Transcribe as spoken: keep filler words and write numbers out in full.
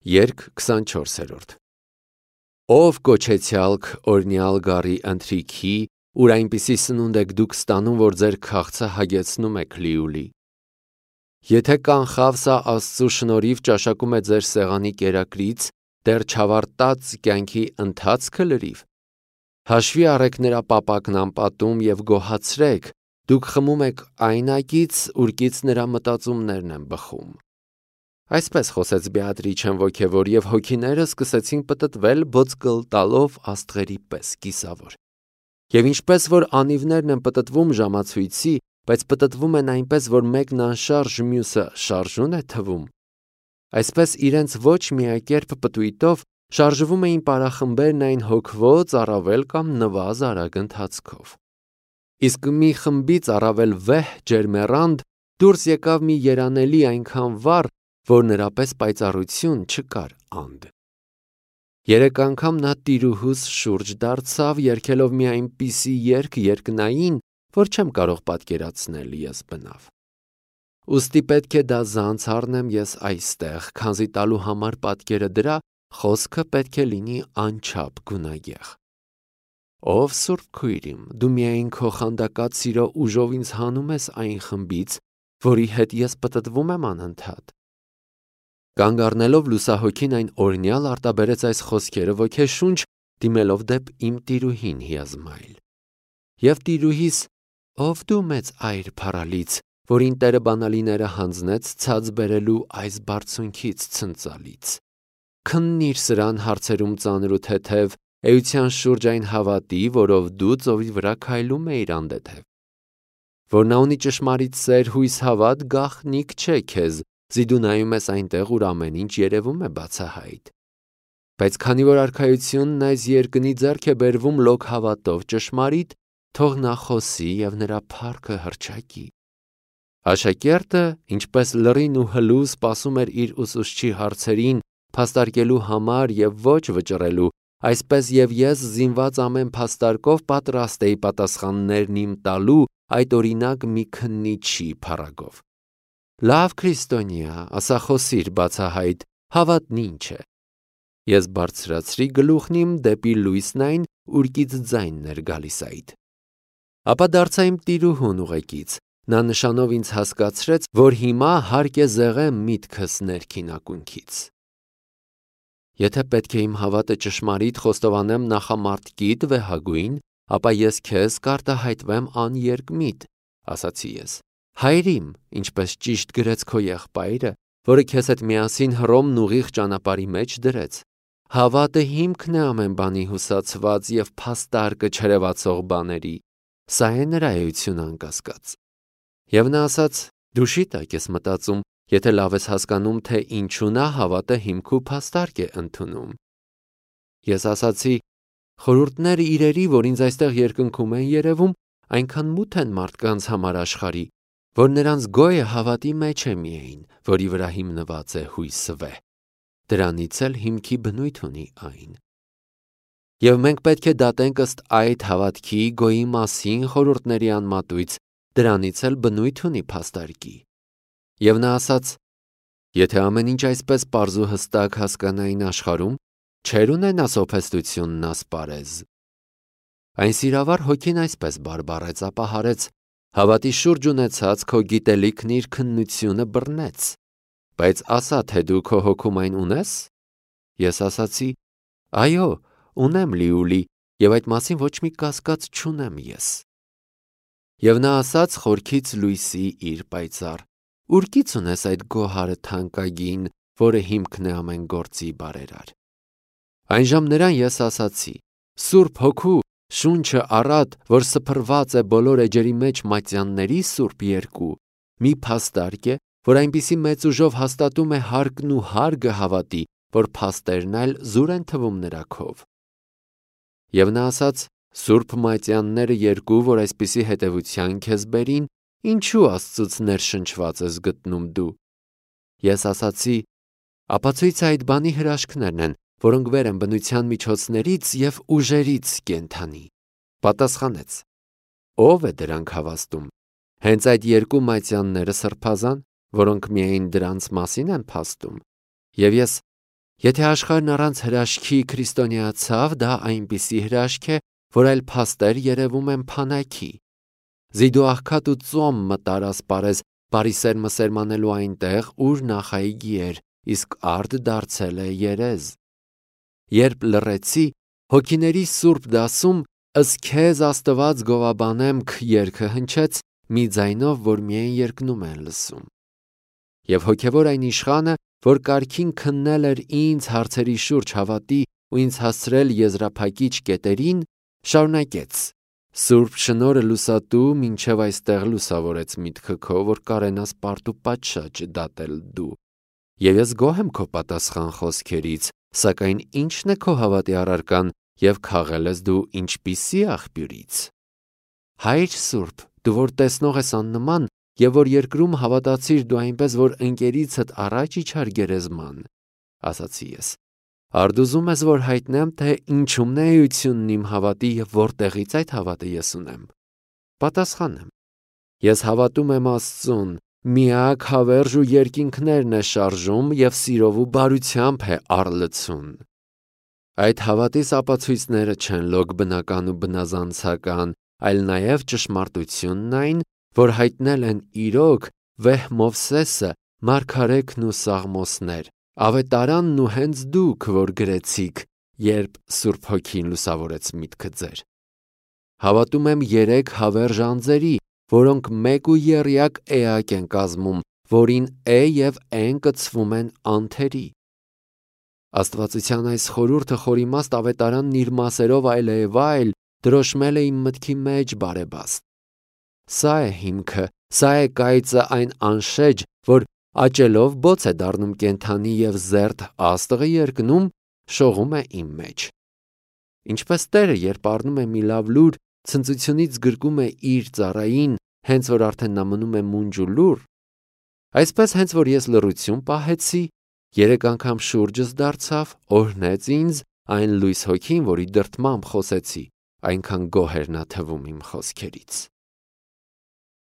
Երգ քսանչորսերորդ Ով կոչեցյալք օրնյալ գառի ընթրիքի, ուր այնպիսի սնունդ եք դուք ստանում, որ ձեր քաղցը հագեցնում եք լիուլի։ Եթե կանխավ սա Աստծու շնորհիվ ճաշակում է ձեր սեղանի կերակրից, դեռ չավարտած կյանքի ընթացքը լրիվ։ Հաշվի առեք նրա պապակն անպատում և գոհացրեք, դուք խմում եք այն ակից, ուրկից նրա մտածումներն են բխում։ Այսպես խոսեց Բեատրիչեն ոգևոր, և հոգիները սկսեցին պտտվել բոցկլ տալով աստղերի պես կիսավոր։ Եվ ինչպես որ անիվներն են պտտվում ժամացույցի, բայց պտտվում են այնպես, որ մեկն անշարժ, մյուսը շարժուն է թվում, այսպես իրենց ոչ միակերպ պտույտով շարժվում էին պարախմբերն այն հոգվոց առավել կամ նվազ արագ ընթացքով։ Իսկ մի խմբից առավել վեհ ջերմեռանդ դուրս եկավ մի երանելի այնքան վառ, որ նրա պես պայծառություն չկար анд։ Երեք անգամ նա տիրուհուս շուրջ դարձավ, երգելով մի այնպիսի երգ երկնային, որ չեմ կարող պատկերացնել ես բնավ։ Ուստի պետք է դա զանց առնեմ ես այստեղ, քանզի տալու համար պատկերը դրա, խոսքը պետք է լինի անչափ գունագեղ։ Ով սուրբ քույրիմ, դու միայն քո խանդակած սիրո ուժով ինձ հանում ես այն խմբից, որի հետ ես պտտվում եմ անընդհատ։ Կանգ առնելով լուսահոգին այն օրնյալ արտաբերեց այս խոսքերը ոգեշունչ, դիմելով դեպ իմ տիրուհին հիազմայլ։ Եվ տիրուհիս, ով դու մեծ այր փառալից, որին Տերը բանալիները հանձնեց ցած բերելու այս բարձունքից ցնծալից։ Քննիր սրան հարցերում ծանր ու թեթև, էության շուրջ այն հավատի, որով դու ծովի վրա քայլում էիր անդեթև։ Որ նա ունի ճշմարիտ սեր, հույս հավատ, գաղտնիք չէ քեզ, զի դու նայում ես այնտեղ, ուր ամեն ինչ երևում է բացահայտ։ Բայց քանի որ արքայությունն այս երկնի ձեռք է բերվում լոկ հավատով ճշմարիտ, թող նա խոսի և նրա փառքը հռչակի։ Աշակերտը, ինչպես լռին ու հլու սպասում էր իր ուսուցչի հարցերին, փաստարկելու համար և ոչ վճռելու, այսպես և ես զինված ամեն փաստարկով պատրաստ էի պատասխաններն իմ տալու այդ օրինակ մի քննիչի փառագով։ Լավ քրիստոնյա, ասա խոսիր բացահայտ, հավատն ինչ է։ Ես բարձրացրի գլուխն իմ դեպի լույսն այն, ուրկից ձայնն էր գալիս այդ։ Ապա դարձա իմ տիրուհուն ուղեկից, նա նշանով ինձ հասկացրեց, որ հիմա հարկ է զեղեմ միտքս ներքին ակունքից։ Եթե պետք է իմ հավատը ճշմարիտ խոստովանեմ նախամարտկիդ վեհագույն, ապա ես քեզ կարտահայտվեմ աներկմիտ, ասացի ես։ Հայրիմ, ինչպես ճիշտ գրեց քո եղբայրը, որը քեզ հետ միասին Հռոմն ուղիղ ճանապարհի մեջ դրեց։ Հավատը հիմքն է ամեն բանի հուսացված և փաստարկը չերևացող բաների։ Սա է նրա էությունը անկասկած։ Եվ նա ասաց. դու շիտակ ես մտածում, եթե լավ ես հասկանում, թե ինչու նա հավատը հիմք ու փաստարկ է ընդունում։ Ես ասացի. խորհուրդները իրերի, որ ինձ այստեղ երկնքում են երևում, այնքան մութ են մարդկանց համար աշխարհի, որ նրանց գոյը հավատի մեջ է միայն, որի վրա հիմնված է հույսը վեհ։ Դրանից էլ հիմքի բնույթ ունի այն։ Եվ մենք պետք է դատենք ըստ այդ հավատքի գոյի մասին խորհուրդների անմատույց, դրանից էլ բնույթ ունի փաստարկի։ Եվ նա ասաց. եթե ամեն ինչ այսպես պարզ ու հստակ հասկանային աշխարհում, չէր ունենա սոփեստությունն ասպարեզ։ Այն սիրավար հոգին այսպես բարբառեց, ապա հարեց. հավատի շուրջ ունեցած քո գիտելիքն իր քննությունը բռնեց։ Բայց ասա, թե դու քո հոգում այն ունես։ Ես ասացի. այո, ունեմ լիուլի, և այդ մասին ոչ մի կասկած չունեմ ես։ Եվ նա ասաց խորքից լույսի իր պայծառ. ուրկից ունես այդ գոհարը թանկագին, որը հիմքն է ամեն գործի բարերար։ Այնժամ նրան ես ասացի. Սուրբ Հոգու շունչը առատ, որ սփռված է բոլոր էջերի մեջ մատյանների սուրբ երկու, մի փաստարկ է, որ այնպիսի մեծ ուժով հաստատում է հարկն ու հարգը հավատի, որ փաստերն այլ զուր են թվում նրա քով։ Եվ նա ասաց. Սուրբ մատյանները երկու, որ այսպիսի հետևության քեզ բերին, ինչու Աստծուց ներշնչված ես գտնում դու։ Ես ասացի. ապացույցը այդ բանի հրաշքներն են, որոնք վեր են բնության միջոցներից և ուժերից կենդանի։ Պատասխանեց. ով է դրանք հավաստում։ Հենց այդ երկու մատյանները սրբազան, որոնք միայն դրանց մասին են փաստում։ Եվ ես Եթե աշխարհն առանց հրաշքի քրիստոնեացավ, դա այնպիսի հրաշք է, որ այլ փաստեր երևում են փանակի։ Զիդու աղքատ ու ծոմ մտար ասպարեզ բարիսերմը սերմանելու այնտեղ, ուր նախայգի էր, իսկ արդ դարձել է երեզ։ Երբ լռեցի, հոգիների սուրբ դասում «Ըս քեզ Աստված գովաբանեմ» երգը հնչեց մի ձայնով, որ միայն երկնում են լսում։ Եվ հոգևոր այն իշխանը, որ կարգին քննել էր ինձ հարցերի շուրջ հավատի ու ինձ հասցրել եզրափակիչ կետերին, շարունակեց. «Սուրբ շնորհը լուսատու մինչև այստեղ լուսավորեց միտքը քո, որ կարենաս պարտ ու պատշաճ դատել դու։ Եվ ես գոհ եմ քո պատասխան խոսքերից, սակայն ի՞նչն է քո հավատի առարկան և քաղել ես դու ինչպիսի աղբյուրից։ Հայր Սուրբ, դու որ տեսնող ես աննման, և որ երկրում հավատացիր դու այնպես, որ ընկերիցդ առաջ իջար գերեզման, ասացի ես, արդ ուզում ես, որ հայտնեմ, թե ինչումն է էությունն իմ հավատի և որտեղից այդ հավատը ես ունեմ։ Պատասխանեմ. ես հավատում եմ Աստծուն, միակ հավերժ ու երկինքներն է շարժում և սիրով ու բարությամբ է առլցուն։ Այդ հավատիս ապացույցները չեն լոկ բնական ու բնազանցական, այլ նաև ճշմարտությունն այն, որ հայտնել են իրոք վեհ Մովսեսը, մարգարեքն ու Սաղմոսներ, ավետարանն ու հենց դուք, որ գրեցիք, երբ Սուրբ Հոգին լուսավորեց միտքը ձեր։ Հավատում եմ երեք հավերժ անձերի, որոնք մեկ ու եռյակ էակ են կազմում, որին է և են կցվում են անթերի։ Աստվածության այս խորհուրդը խորիմաստ ավետարանն իր մասերով այլևայլ դրոշմել է իմ մտքի մեջ բարեբաստ։ Սա է հիմքը, սա է կայծը այն անշեջ, որ աճելով բոց է դառնում կենդանի և զերծ աստղը երկնում, շողում է իմ մեջ։ Ինչպես Տերը, երբ առնում է մի լավ լուր, ցնծությունից գրկում է իր ծառային, հենց որ արդեն նա մնում է մունջ ու լուռ, այսպես հենց որ ես լռություն պահեցի, երեք անգամ շուրջս դարձավ, օրհնեց ինձ այն լույս հոգին, որի դրդմամբ խոսեցի, այնքան գոհ էր նա թվում իմ խոսքերից։